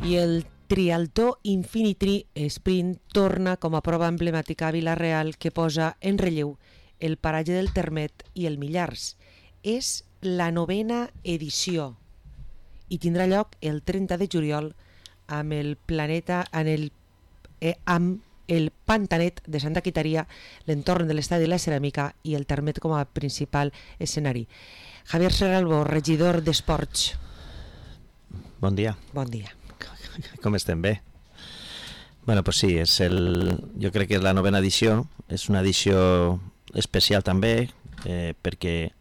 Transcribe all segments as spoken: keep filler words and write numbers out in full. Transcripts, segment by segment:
I el Trialtó Infinity Sprint torna com a prova emblemàtica a Vila-real que posa en relleu el paratge del Termet i el Millars. És la novena edició i tindrà lloc el trenta de juliol amb el planeta en el, eh, amb el Pantanet de Santa Quitaria, l'entorn de l'Estadi de la Ceràmica i el Termet com a principal escenari. Javier Serralbo, regidor d'Esports. Bon dia. Bon dia. Com estem? Bé? Bueno, pues sí, és el, jo crec que és la novena edició, és una edició especial també, eh, perquè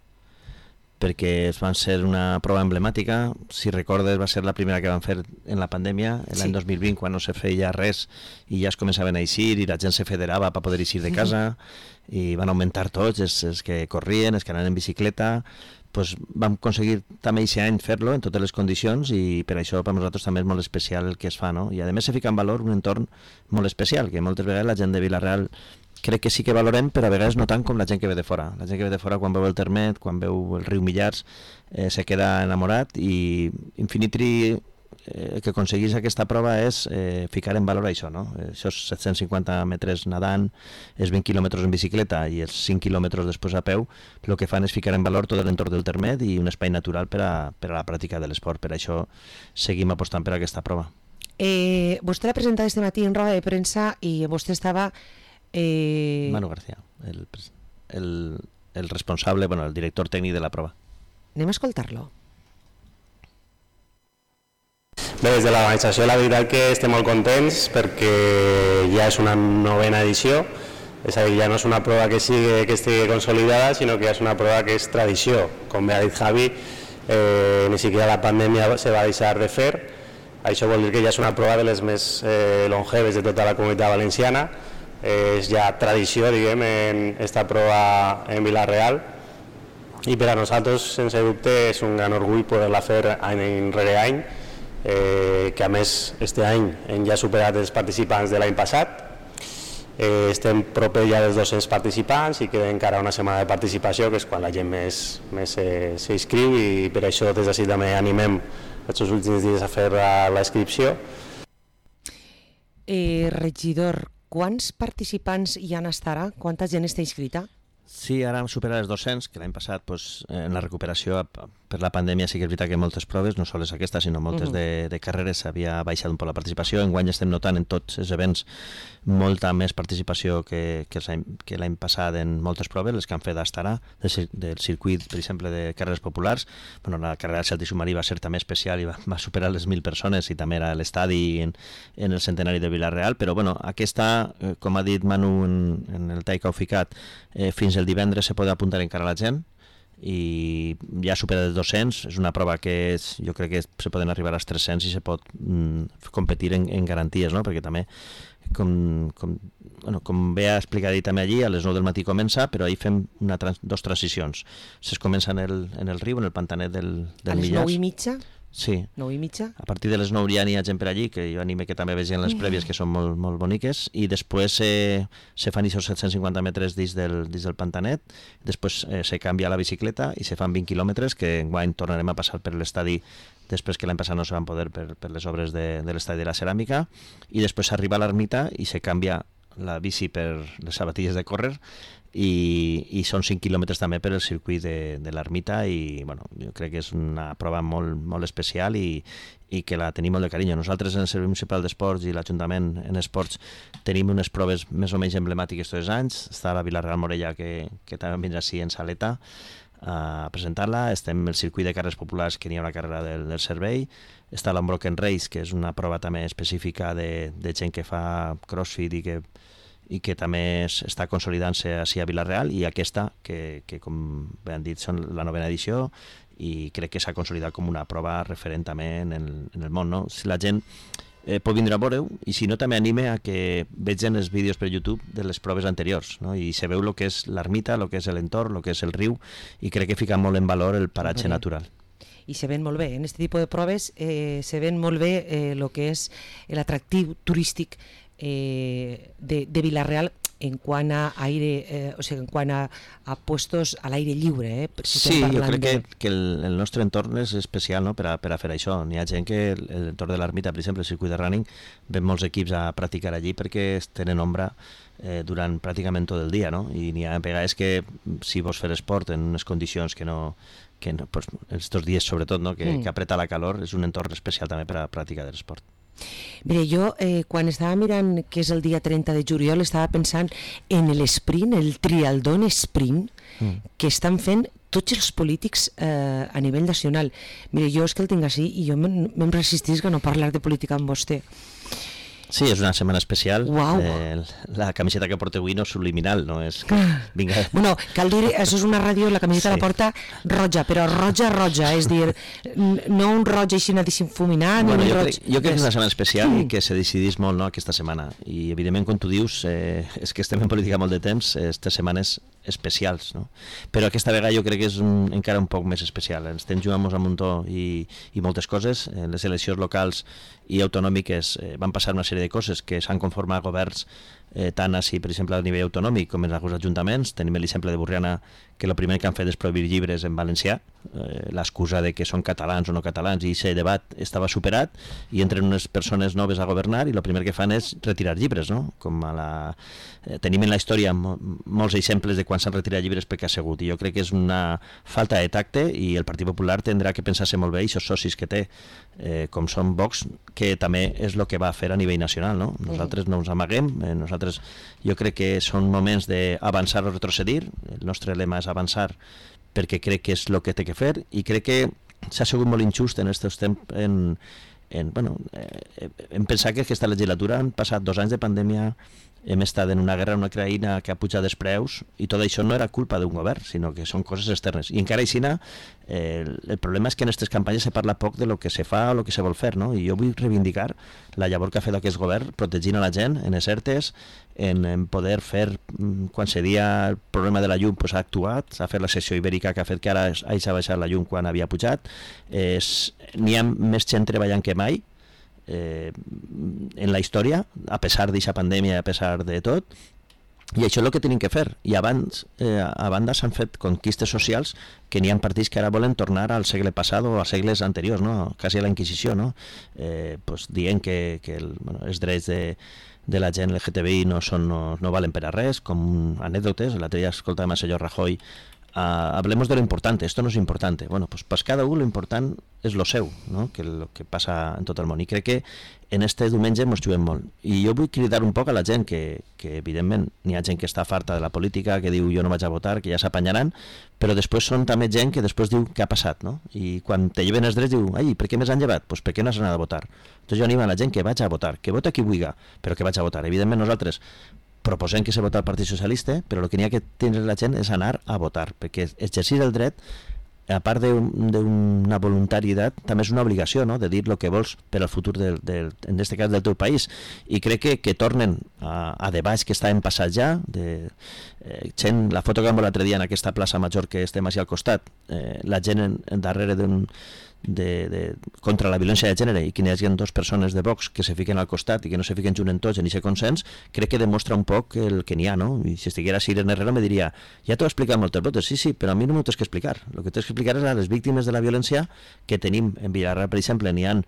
perquè van ser una prova emblemàtica. Si recordes, va ser la primera que van fer en la pandèmia, l'any sí. dos mil vint, quan no se feia res i ja es començaven a eixir i la gent se federava per poder eixir de casa, i van augmentar tots, els, els que corrien, els que anaven en bicicleta. Pues vam aconseguir també aquest any fer-lo en totes les condicions, i per això per nosaltres també és molt especial el que es fa, no? I a més se fica en valor un entorn molt especial, que moltes vegades la gent de Vila-real crec que sí que valorem, però a vegades no tant com la gent que ve de fora. La gent que ve de fora, quan veu el Termet, quan veu el riu Millars, eh, se queda enamorat, i Infinity eh, el que aconseguís aquesta prova és eh, ficar en valor això, no? Això és set-cents cinquanta metres nedant, és vint quilòmetres en bicicleta i els cinc quilòmetres després a peu. El que fan és ficar en valor tot l'entorn del Termet i un espai natural per a, per a la pràctica de l'esport. Per això seguim apostant per aquesta prova. Eh, vostè l'ha presentat este matí en roda de premsa i vostè estava... Eh... Manu García, el, el, el responsable, bueno, el director tècnic de la prova. Anem a escoltar-lo. Bé, des de l'organització la veritat que estem molt contents perquè ja és una novena edició, és a dir, ja no és una prova que, sigui, que estigui consolidada, sinó que ja és una prova que és tradició. Com bé ha dit Javi, eh, ni siquiera la pandèmia se va deixar de fer. Això vol dir que ja és una prova de les més eh, longeves de tota la comunitat valenciana. És ja tradició, diguem, en esta prova en Vila-real, i per a nosaltres, sense dubte, és un gran orgull poder-la fer any rere any, eh, que a més, este any hem ja superat els participants de l'any passat. Eh, estem proper ja dels dos-cents participants i queda encara una setmana de participació, que és quan la gent més, més eh, s'inscriu, i per això des d'ací també animem aquests últims dies a fer la, la inscripció. Eh, regidor, quants participants hi han estarà? Quanta gent està inscrita? Sí, ara hem superat els dos-cents, que l'any passat pues, en la recuperació per la pandèmia sí que és veritat que moltes proves, no sols aquesta, sinó moltes uh-huh. de, de carreres, havia baixat un poc la participació. Enguany estem notant en tots els events molta més participació que, que, que l'any passat en moltes proves, les que han fet d'Estarà, del, del circuit, per exemple, de carreres populars. Bueno, la carrera del Celta i Submarí va ser també especial i va, va superar les mil persones, i també era a l'estadi en, en el centenari de Vila-real, però bueno, aquesta, eh, com ha dit Manu en, en el tall que heu ficat, eh, fins el divendres se pot apuntar encara la gent, i ja supera els dos-cents. És una prova que és, jo crec que se poden arribar als tres-cents i se pot mm, competir en, en garanties, no? Perquè també com, com, bueno, com bé ha explicat també allí, a les nou del matí comença, però ahir fem una trans, dos transicions. Es comença en el, en el riu, en el pantanet del, del Millars. A les nou i mitja? Sí. nou i mitja? A partir de les nou ja n'hi ha gent per allí, que jo anime que també vegin les prèvies, que són molt, molt boniques, i després eh, se fan aquests set-cents cinquanta metres dins del, dins del pantanet, després eh, se canvia la bicicleta i se fan vint quilòmetres, que enguany tornarem a passar per l'estadi, després que l'any passat no se van poder per, per les obres de, de l'estadi de la Ceràmica, i després s'arriba a l'ermita i se canvia la bici per les sabatilles de córrer, i, i són cinc quilòmetres també per el circuit de, de l'ermita, i bueno, jo crec que és una prova molt, molt especial i, i que la tenim molt de carinyo. Nosaltres en el Servei Municipal d'Esports i l'Ajuntament en Esports tenim unes proves més o menys emblemàtiques tots els anys. Està la Vila-real Morella, que, que també vindrà així en saleta a presentar-la. Estem el circuit de carreres populars, que n'hi ha una carrera del, del servei. Està l'Unbroken Race, que és una prova també específica de, de gent que fa crossfit i que i que també està consolidant-se així a Vila-real, i aquesta, que, que com bé han dit, són la novena edició, i crec que s'ha consolidat com una prova referent també en el, en el món, no? Si la gent eh, pot vindre a veure-ho, i si no també anime a que vegin els vídeos per YouTube de les proves anteriors, no? I se veu el que és l'ermita, el que és l'entorn, el que és el riu, i crec que fica molt en valor el paratge natural. I se ven molt bé, en aquest tipus de proves eh, se ven molt bé el eh, que és l'atractiu turístic Eh, de, de Vila-real, en quant a aire, eh, o sigui, en quant a, a puestos a l'aire lliure, eh? Si sí, jo crec de... que, que el, el nostre entorn és especial, no?, per a, per a fer això. N'hi ha gent que l'entorn de l'Ermita, per exemple, el circuit de running, ven molts equips a practicar allí perquè tenen ombra eh, durant pràcticament tot el dia, no? I n'hi ha vegades que si vols fer esport en unes condicions que no, que no pues, estos dies sobretot, no?, que, mm. que apreta la calor, és un entorn especial també per a practicar l'esport. Mira, jo eh, quan estava mirant que és el dia trenta de juliol estava pensant en l'esprint, el trialdón sprint mm. que estan fent tots els polítics eh, a nivell nacional. Mira, jo és que el tinc així i jo me'n resistís a no parlar de política amb vostè. Sí, és una setmana especial. Wow. Eh, la camiseta que porta avui no és subliminal, no és que... Vinga. Bueno, cal dir, això és una ràdio, la camiseta sí. la porta roja, però roja, roja, és dir, no un roig així difuminat, bueno, ni un jo roig... Crec, jo crec que és una setmana especial mm. i que se decidís molt, no, aquesta setmana. I, evidentment, com tu dius, eh, és que estem en política molt de temps, aquestes setmanes especials, no? Però aquesta vegada jo crec que és un, encara un poc més especial. Ens estem jugant a muntó i, i moltes coses. Eh, les eleccions locals i autonòmiques eh, van passar una sèrie de coses que s'han conformat governs eh, tant així, per exemple, a nivell autonòmic com en alguns ajuntaments. Tenim l'exemple de Borriana, que el primer que han fet és prohibir llibres en valencià, eh, l'excusa de que són catalans o no catalans, i aquest debat estava superat, i entren unes persones noves a governar i el primer que fan és retirar llibres, no? Com a la... eh, tenim en la història mo molts exemples de quan s'han retirat llibres perquè ha sigut, i jo crec que és una falta de tacte, i el Partit Popular tindrà que pensar-se molt bé, i els socis que té, eh, com són Vox, que també és el que va fer a nivell nacional, no? Nosaltres no ens amaguem, eh, nosaltres jo crec que són moments d'avançar o retrocedir. El nostre lema és avançar perquè crec que és el que té que fer, i crec que s'ha sigut molt injust en aquests temps en, en, bueno, eh, en pensar que aquesta legislatura han passat dos anys de pandèmia, hem estat en una guerra en una Ucraïna que ha pujat els preus, i tot això no era culpa d'un govern, sinó que són coses externes. I encara així, eh, el problema és que en aquestes campanyes se parla poc de lo que se fa o lo que se vol fer, no? I jo vull reivindicar la llavor que ha fet aquest govern protegint a la gent en les ERTEs, en, en poder fer, quan se dia el problema de la llum, pues, ha actuat, s'ha fet la sessió ibèrica que ha fet que ara hagi baixat la llum quan havia pujat, n'hi ha més gent treballant que mai, Eh, en la història, a pesar d'aquesta pandèmia, a pesar de tot, i això és el que tenim que fer. I abans, eh, a banda s'han fet conquistes socials que n'hi ha partits que ara volen tornar al segle passat o als segles anteriors, no? Quasi a la Inquisició, no? Eh, pues, dient que, que el, bueno, els drets de, de la gent L G T B I no, són, no, no valen per a res, com anècdotes. L'altre dia escoltàvem al senyor Rajoy, Uh, hablemos de lo importante, esto no es importante. Bueno, pues para cada uno lo important és lo seu, no? Que lo que passa en tot el món. I crec que en este diumenge ens juguem molt. I jo vull cridar un poc a la gent que, que evidentment, n'hi ha gent que està farta de la política, que diu jo no vaig a votar, que ja s'apanyaran, però després són també gent que després diu què ha passat, no? I quan te lleven els drets diu, ai, per què més han llevat? Pues per què no has anat a votar? Entonces jo animo a la gent que vaig a votar, que vota qui vulgui, però que vaig a votar. Evidentment nosaltres proposem que se vota al Partit Socialista, però el que n'hi ha que tenir la gent és anar a votar, perquè exercir el dret, a part d'una voluntarietat, també és una obligació, no?, de dir el que vols per al futur, del, del, en aquest cas, del teu país. I crec que, que tornen a, a debats que estaven passats ja, de, eh, gent, la foto que vam veure l'altre dia en aquesta plaça Major que estem així al costat, eh, la gent en, en darrere d'un De, de, contra la violència de gènere, i que hi hagi dues persones de Vox que se fiquen al costat i que no se fiquen junt en tots en aquest consens, crec que demostra un poc el que n'hi ha, no? I si estiguera Irene Herrero me diria, ja t'ho he explicat moltes voltes, sí, sí, però a mi no m'ho tens que explicar. El que tens que explicar és a les víctimes de la violència que tenim en Villarreal, per exemple, n'hi ha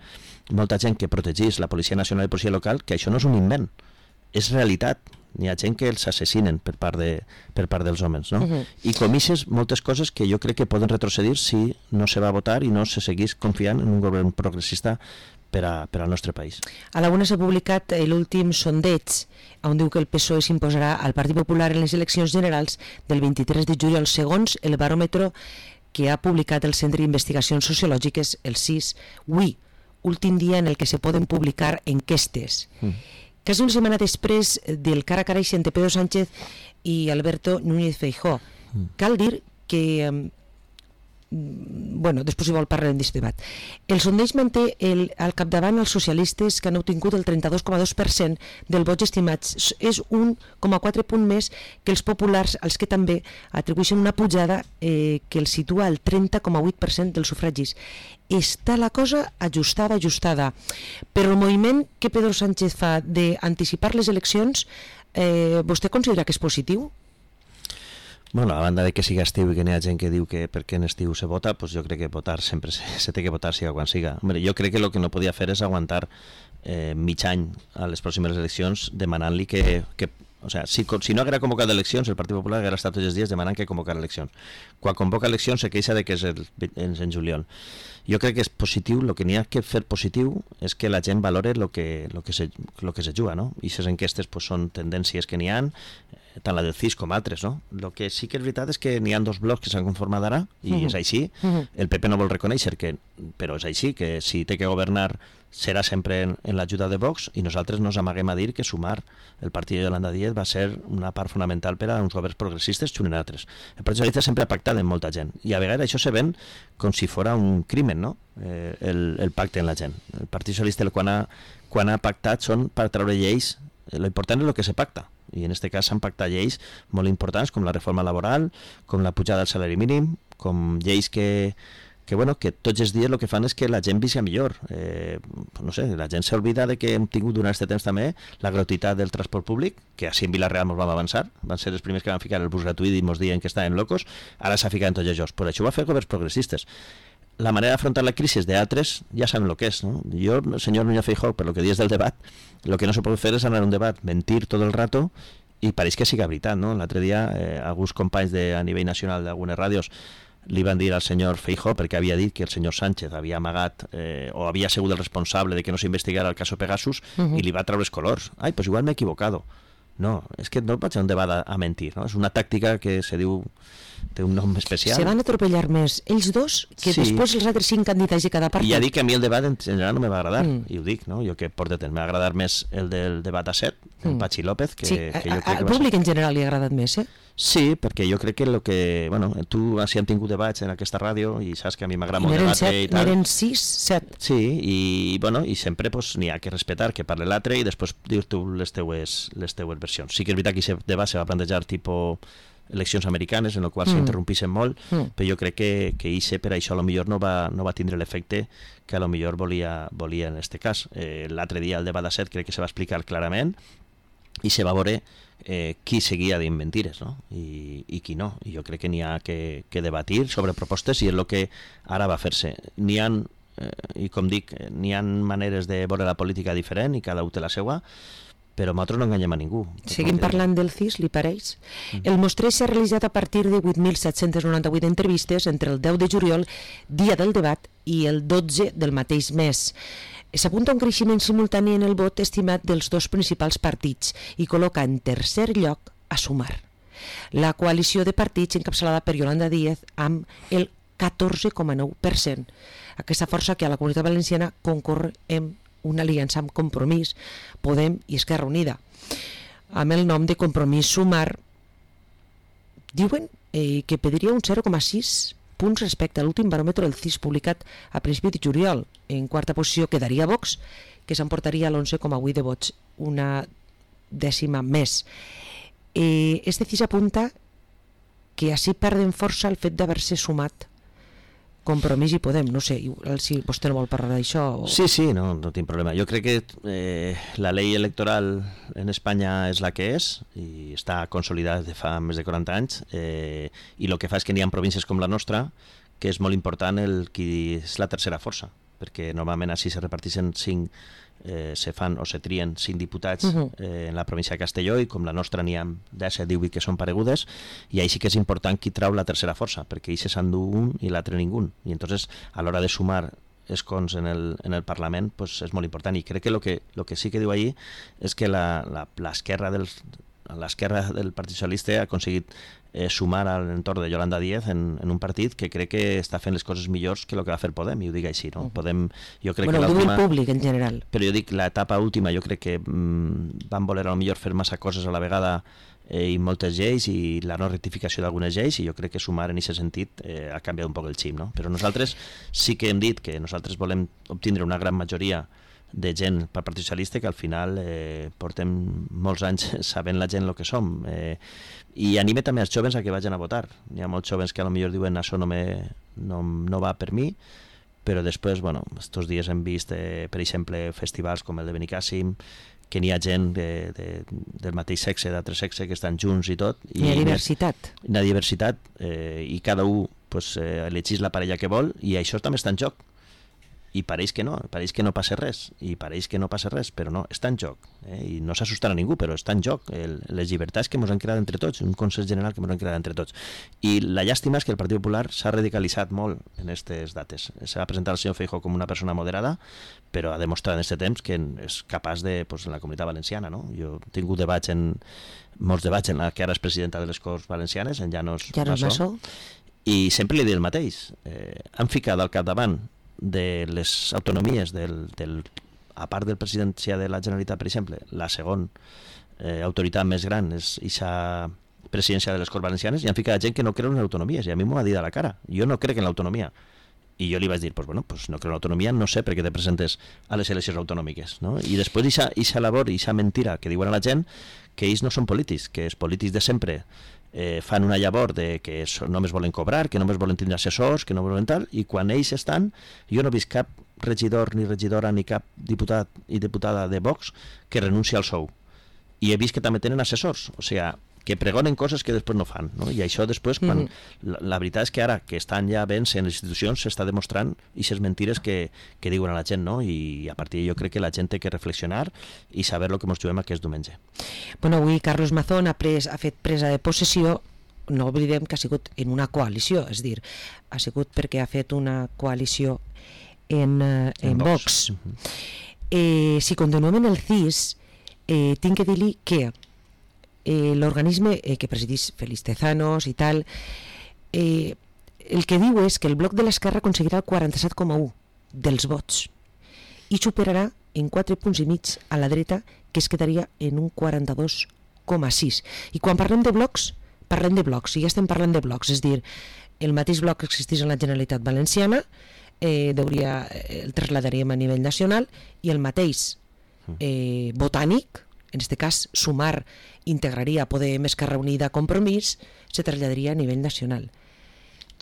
molta gent que protegís la Policia Nacional i Policia Local, que això no és un invent, és realitat. N'hi ha gent que els assassinen per part, de, per part dels homes, no? Uh-huh. I comisses moltes coses que jo crec que poden retrocedir si no se va a votar i no se seguís confiant en un govern progressista per, a, per al nostre país. A la una s'ha publicat l'últim sondeig on diu que el P S O E s'imposarà al Partit Popular en les eleccions generals del vint-i-tres de juliol, segons el baròmetre que ha publicat el Centre d'Investigacions Sociològiques, el C I S, avui, últim dia en el que se poden publicar enquestes. Mm. Quasi una setmana després del cara a cara entre Pedro Sánchez i Alberto Núñez Feijóo. Mm. Cal dir que, bueno, després si vol parlarem d'aquest debat. El sondeig manté el, al capdavant els socialistes, que han obtingut el trenta-dos coma dos per cent del vots estimats. És un coma quatre punt més que els populars, als que també atribueixen una pujada eh, que els situa al trenta coma vuit per cent dels sufragis. Està la cosa ajustada, ajustada. Però el moviment que Pedro Sánchez fa d'anticipar les eleccions eh, vostè considera que és positiu? Bueno, a banda de que siga estiu i que n'hi ha gent que diu que perquè en estiu se vota, pues jo crec que votar sempre se, se té que votar siga quan siga. Hombre, jo crec que el que no podia fer és aguantar eh, mig any a les pròximes eleccions demanant-li que, que o sea, si, si no haguera convocat eleccions, el Partit Popular haguera estat tots els dies demanant que convocar eleccions. Quan convoca eleccions se queixa de que és el, en juliol. Jo crec que és positiu, el que n'hi ha que fer positiu és que la gent valore el que, lo que, se, lo que se juga, no? I aquestes enquestes pues, són tendències que n'hi ha, tant la del C I S com altres, no? El que sí que és veritat és que n'hi ha dos blocs que s'han conformat ara, i uh -huh. és així. Uh -huh. El P P no vol reconèixer, que, però és així, que si té que governar serà sempre en, en l'ajuda de Vox, i nosaltres nos amaguem a dir que sumar el partit de Yolanda Díez va ser una part fonamental per a uns governs progressistes xunen altres. El Partit Socialista sempre ha pactat amb molta gent, i a vegades això se ven com si fora un crimen, no? Eh, el, el pacte en la gent. El Partit Socialista quan ha, quan ha pactat són per treure lleis, l'important és el que se pacta, i en aquest cas s'han pactat lleis molt importants com la reforma laboral, com la pujada del salari mínim, com lleis que, que, bueno, que tots els dies el que fan és que la gent visca millor. Eh, no sé, la gent s'oblida de que hem tingut durant aquest temps també la gratuïtat del transport públic, que així en Vila-real ens vam avançar, van ser els primers que van ficar el bus gratuït i ens diuen que estaven locos, ara s'ha ficat en tots els. Per això ho va fer governs progressistes. La manera d'afrontar la crisi de altres ja saben el que és, no? Jo, senyor Núñez Feijóo, per lo que dius del debat, el que no se pot fer és anar a un debat, mentir tot el rato, i pareix que siga veritat, no? L'altre dia, eh, alguns companys de, a nivell nacional d'algunes ràdios li van dir al senyor Feijóo, perquè havia dit que el senyor Sánchez havia amagat eh, o havia sigut el responsable de que no s'investigara el cas Pegasus, uh-huh. i li va treure els colors. Ai, pues igual m'he equivocado. No, és que no pot ser un debat a, a mentir, no? És una tàctica que se diu, té un nom especial. Se van atropellar més ells dos que sí. Després els altres cinc candidats de cada partit. I ja dic que a mi el debat en general no me va agradar, mm. i ho dic, no? Jo que porto temps, m'ha agradat més el del debat a set, mm. el Pachi López, que, sí, que jo crec al que va públic ser... en general li ha agradat més, eh? Sí, perquè jo crec que el que... Bueno, tu si hem tingut debats en aquesta ràdio i saps que a mi m'agrada molt debatre i tal. N'eren sis, set. Sí, i, bueno, i sempre pues, n'hi ha que respetar que parli l'altre i després dius tu les teues, les teues versions. Sí que és veritat que aquest debat se va plantejar tipus eleccions americanes, en el qual mm. s'interrompissin molt, mm. però jo crec que, que Ixe per això a lo millor no va, no va tindre l'efecte que a lo millor volia, volia en aquest cas. Eh, l'altre dia el debat a set crec que se va explicar clarament i se va veure eh, qui seguia dient mentires, no? I, i qui no. I jo crec que n'hi ha que, que debatir sobre propostes i és el que ara va fer-se. N'hi ha, eh, i com dic, n'hi ha maneres de veure la política diferent i cada un té la seva, però nosaltres no enganyem a ningú. Seguim parlant del C I S, li pareix? Mm. El mostreig s'ha realitzat a partir de vuit mil set-cents noranta-vuit entrevistes entre el deu de juliol, dia del debat, i el dotze del mateix mes. S'apunta un creixement simultani en el vot estimat dels dos principals partits i col·loca en tercer lloc a Sumar, la coalició de partits encapçalada per Yolanda Díez amb el catorze coma nou per cent. Aquesta força que a la Comunitat Valenciana concorre en una aliança amb Compromís, Podem i Esquerra Unida. Amb el nom de Compromís Sumar, diuen eh, que pediria un zero coma sis punts respecte a l'últim baròmetre del C I S publicat a principi de juliol. En quarta posició quedaria Vox, que s'emportaria l'onze coma vuit de vots, una dècima més. Eh, este C I S apunta que així perden força el fet d'haver-se sumat Compromís i Podem, no sé, si vostè no vol parlar d'això. O... Sí, sí, no, no tinc problema. Jo crec que eh, la llei electoral en Espanya és la que és i està consolidada de fa més de quaranta anys eh, i el que fa és que n'hi ha províncies com la nostra que és molt important el qui és la tercera força, perquè normalment així se reparteixen cinc Eh, se fan o se trien cinc diputats uh-huh. eh, en la província de Castelló i com la nostra n'hi ha disset, divuit que són paregudes i ahí sí que és important qui trau la tercera força perquè ahí se s'endú un i l'altre ningú i entonces a l'hora de sumar escons en el, en el Parlament pues, és molt important i crec que el que, lo que sí que diu ahí és que l'esquerra del, l'esquerra del Partit Socialista ha aconseguit eh, sumar a l'entorn de Yolanda Díez en, en un partit que crec que està fent les coses millors que el que va fer Podem, i ho dic així, no? Podem, jo crec bueno, que l'última... el públic en general. Però jo dic, l'etapa última, jo crec que mm, van voler a lo millor fer massa coses a la vegada eh, i moltes lleis i la no rectificació d'algunes lleis i jo crec que sumar en aquest sentit eh, ha canviat un poc el xip, no? Però nosaltres sí que hem dit que nosaltres volem obtindre una gran majoria de gent pel Partit Socialista que al final eh, portem molts anys sabent la gent el que som eh, i anime també els joves a que vagin a votar. Hi ha molts joves que a lo millor diuen això no, me, no, no va per mi, però després, bueno, estos dies hem vist eh, per exemple festivals com el de Benicàssim que n'hi ha gent de, de, del mateix sexe, d'altre sexe, que estan junts i tot. Hi ha diversitat. Hi ha diversitat, eh, i cada un pues, eh, elegís la parella que vol, i això també està en joc. I pareix que no, pareix que no passa res, i pareix que no passa res, però no, està en joc, eh? I no s'assustarà ningú, però està en joc el, les llibertats que ens han creat entre tots, un consens general que ens han creat entre tots. I la llàstima és que el Partit Popular s'ha radicalitzat molt en aquestes dates. Se va presentar el senyor Feijóo com una persona moderada, però ha demostrat en aquest temps que és capaç de, pues, en la Comunitat Valenciana, no? Jo he tingut debats en, molts debats en la que ara és presidenta de les Corts Valencianes, en Llanos Massó, i sempre li dic el mateix. Eh, han ficat al capdavant de les autonomies del, del, a part del presidència de la Generalitat, per exemple, la segona eh, autoritat més gran és aquesta presidència de les Corts Valencianes, i han ficat gent que no creu en autonomies, i a mi m'ho ha dit a la cara. Jo no crec en l'autonomia, i jo li vaig dir, pues bueno, pues no creo en l'autonomia, no sé per què te presentes a les eleccions autonòmiques, no? I després aquesta labor i aquesta mentira que diuen a la gent, que ells no són polítics, que els polítics de sempre eh, fan una llavor de que només volen cobrar, que només volen tindre assessors, que no volen tal, i quan ells estan, jo no he vist cap regidor ni regidora ni cap diputat i diputada de Vox que renuncia al sou. I he vist que també tenen assessors, o sigui, que pregonen coses que després no fan, no? I això després, quan mm-hmm. la, la veritat és que ara que estan ja ben en les institucions, s'està demostrant aquestes mentires que, que diuen a la gent, no? I a partir de jo crec que la gent té que reflexionar i saber el que ens juguem aquest diumenge. Bueno, avui Carlos Mazón ha, pres, ha fet presa de possessió, no oblidem que ha sigut en una coalició, és dir, ha sigut perquè ha fet una coalició en, en, en Vox. Vox. Mm-hmm. eh, si continuem en el C I S, eh, tinc que dir-li que Eh, l'organisme eh, que presidís Félix Tezanos i tal, eh, el que diu és que el bloc de l'esquerra aconseguirà el quaranta-set coma u dels vots i superarà en quatre punts i mig a la dreta, que es quedaria en un quaranta-dos coma sis. I quan parlem de blocs, parlem de blocs, i ja estem parlant de blocs, és dir, el mateix bloc que existeix en la Generalitat Valenciana eh, deuria, el traslladaríem a nivell nacional, i el mateix eh, botànic, en aquest cas Sumar integraria Podem, Esquerra Unida, Compromís, se traslladaria a nivell nacional.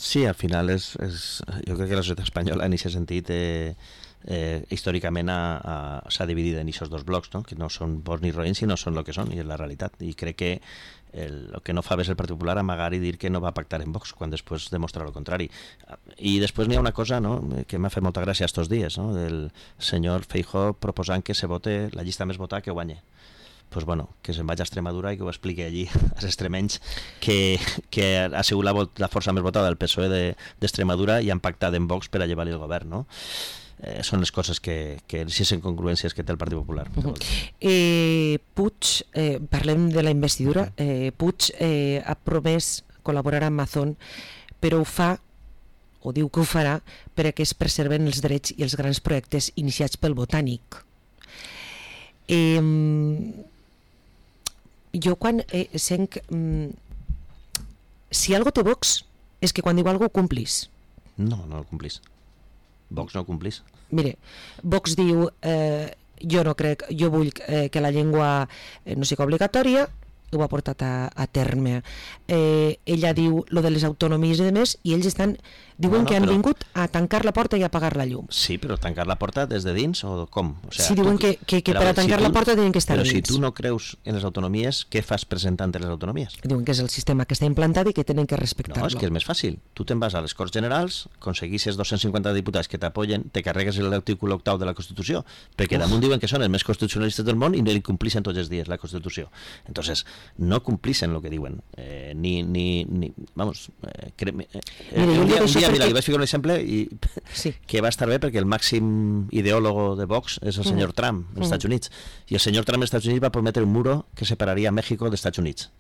Sí, al final és, és jo crec que la societat espanyola en aquest sentit eh, eh, històricament s'ha dividit en aquests dos blocs, no? Que no són bons ni roïns, sinó són el que són, i és la realitat. I crec que el, el que no fa bé és el Partit Popular amagar i dir que no va pactar en Vox, quan després demostra el contrari. I després n'hi ha una cosa, no?, que m'ha fet molta gràcia estos dies, no?, del senyor Feijóo proposant que se vote la llista més votada que guanye. Pues bueno, que se'n vagi a Extremadura i que ho expliqui allí als extremenys que, que ha sigut la, la força més votada del P S O E d'Extremadura i han pactat en Vox per a llevar-li el govern, no? Eh, són les coses que, que les incongruències que té el Partit Popular. Uh-huh. eh, Puig, eh, parlem de la investidura, eh, Puig eh, ha promès col·laborar amb Mazón, però ho fa, o diu que ho farà, perquè es preserven els drets i els grans projectes iniciats pel Botànic. Eh, jo quan eh, sent mm, si algo té Vox és que quan diu algo ho complís. No, no ho complís. Vox no ho complís. Mire, Vox diu eh, jo no crec, jo vull eh, que la llengua eh, no sigui obligatòria, ho ha portat a, a terme. Eh, ella diu lo de les autonomies i demés, i ells estan diuen no, no, que han però... vingut a tancar la porta i a apagar la llum. Sí, però tancar la porta des de dins o com? O sea, sí, diuen tu... que, que, que per a tancar si tu... la porta tenen que estar però dins. Però si tu no creus en les autonomies, què fas presentant les autonomies? Diuen que és el sistema que està implantat i que tenen que respectar-lo. No, és que és més fàcil. Tu te'n vas a les Corts Generals, aconseguissis dos-cents cinquanta diputats que t'apoyen, te carregues l'article octau de la Constitució, perquè Uf. damunt diuen que són els més constitucionalistes del món i no complixen tots els dies la Constitució. Entonces, no complixen el que diuen. Eh, ni, ni, ni... Vamos... Eh, cre... eh, mira, un dia, un dia mira, li vaig ficar un exemple i sí. que va estar bé perquè el màxim ideòlogo de Vox és el senyor mm. Trump als mm. Estats Units, i el senyor Trump als Estats Units va prometre un muro que separaria México dels Estats Units.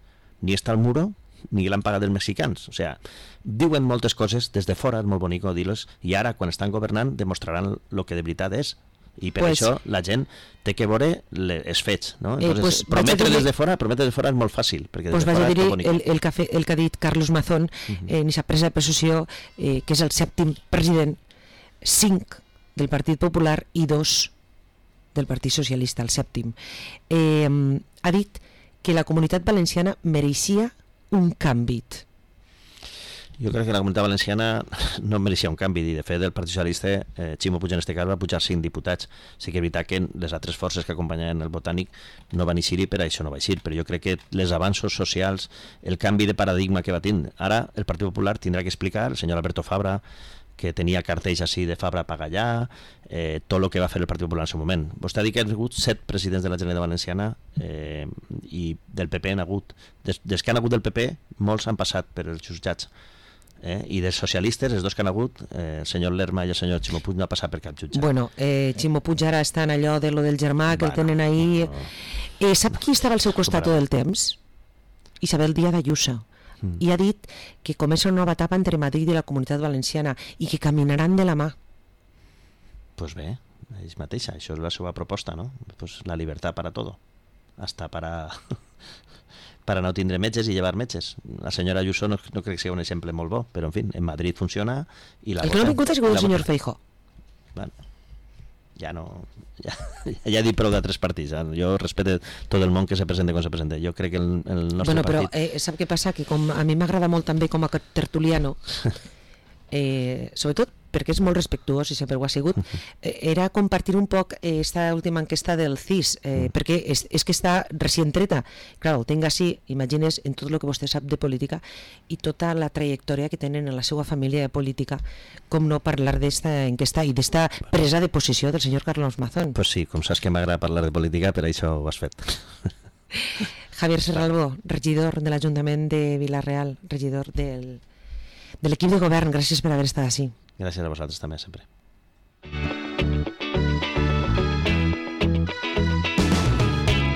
Ni està el muro ni l'han pagat els mexicans. O sea, diuen moltes coses des de fora, és molt bonic dir-les, i ara quan estan governant demostraran el que de veritat és, i per pues, això la gent té que veure els fets, no? Entonces, eh, pues, prometre des de fora, prometre des de fora és molt fàcil, perquè des pues de fora és molt bonic. El, el, que ha fet, el que ha dit Carlos Mazón uh-huh. eh, en aquesta presa de possessió, eh, que és el sèptim president, cinc del Partit Popular i dos del Partit Socialista, el sèptim, eh, ha dit que la Comunitat Valenciana mereixia un canvi. Jo crec que la Comunitat Valenciana no mereixia un canvi, i de fet el Partit Socialista, eh, Ximo Puig en este cas va pujar cinc diputats. Sí que és veritat que les altres forces que acompanyaven el Botànic no van eixir i per això no va eixir, però jo crec que els avanços socials, el canvi de paradigma que va tenir, ara el Partit Popular tindrà que explicar, el senyor Alberto Fabra, que tenia cartells així de Fabra paga allà, eh, tot el que va fer el Partit Popular en el seu moment. Vostè ha dit que ha hagut set presidents de la Generalitat Valenciana eh, i del P P han hagut, des, des que han hagut del P P, molts han passat per els jutjats. Eh? I dels socialistes, els dos que han hagut, eh, el senyor Lerma i el senyor Ximo Puig no ha passat per cap jutjat. Bueno, eh, Ximo Puig ara està en allò de lo del germà, que bueno, el tenen ahí. No. Eh, sap qui estava al seu costat tot el temps? Isabel Díaz Ayuso. Mm. I ha dit que comença una nova etapa entre Madrid i la Comunitat Valenciana i que caminaran de la mà. Pues bé, ells mateixa, això és la seva proposta, no? Pues la llibertat para todo, hasta para para no tindre metges i llevar metges. La senyora Ayuso no, no crec que sigui un exemple molt bo, però en fi, en Madrid funciona i la el que no ha vingut ha sigut el senyor Feijóo. Bueno, ja no, ja, ja he dit prou d'altres partits, eh? Jo respecte tot el món que se presenta com se presenta. Jo crec que el, el nostre bueno, però, partit... eh, sap què passa? Que com a mi m'agrada molt també com a tertuliano, eh, sobretot perquè és molt respectuós i sempre ho ha sigut, eh, era compartir un poc esta última enquesta del C I S, eh, perquè és, és que està recient treta. Clar, el tinc així, imagines, en tot el que vostè sap de política i tota la trajectòria que tenen en la seva família de política, com no parlar d'esta enquesta i d'esta presa de posició del senyor Carlos Mazón. Pues sí, com saps que m'agrada parlar de política, per això ho has fet. Javier Serralbo, regidor de l'Ajuntament de Vila-real, regidor del, de l'equip de govern, gràcies per haver estat així. Gràcies a vosaltres també, sempre.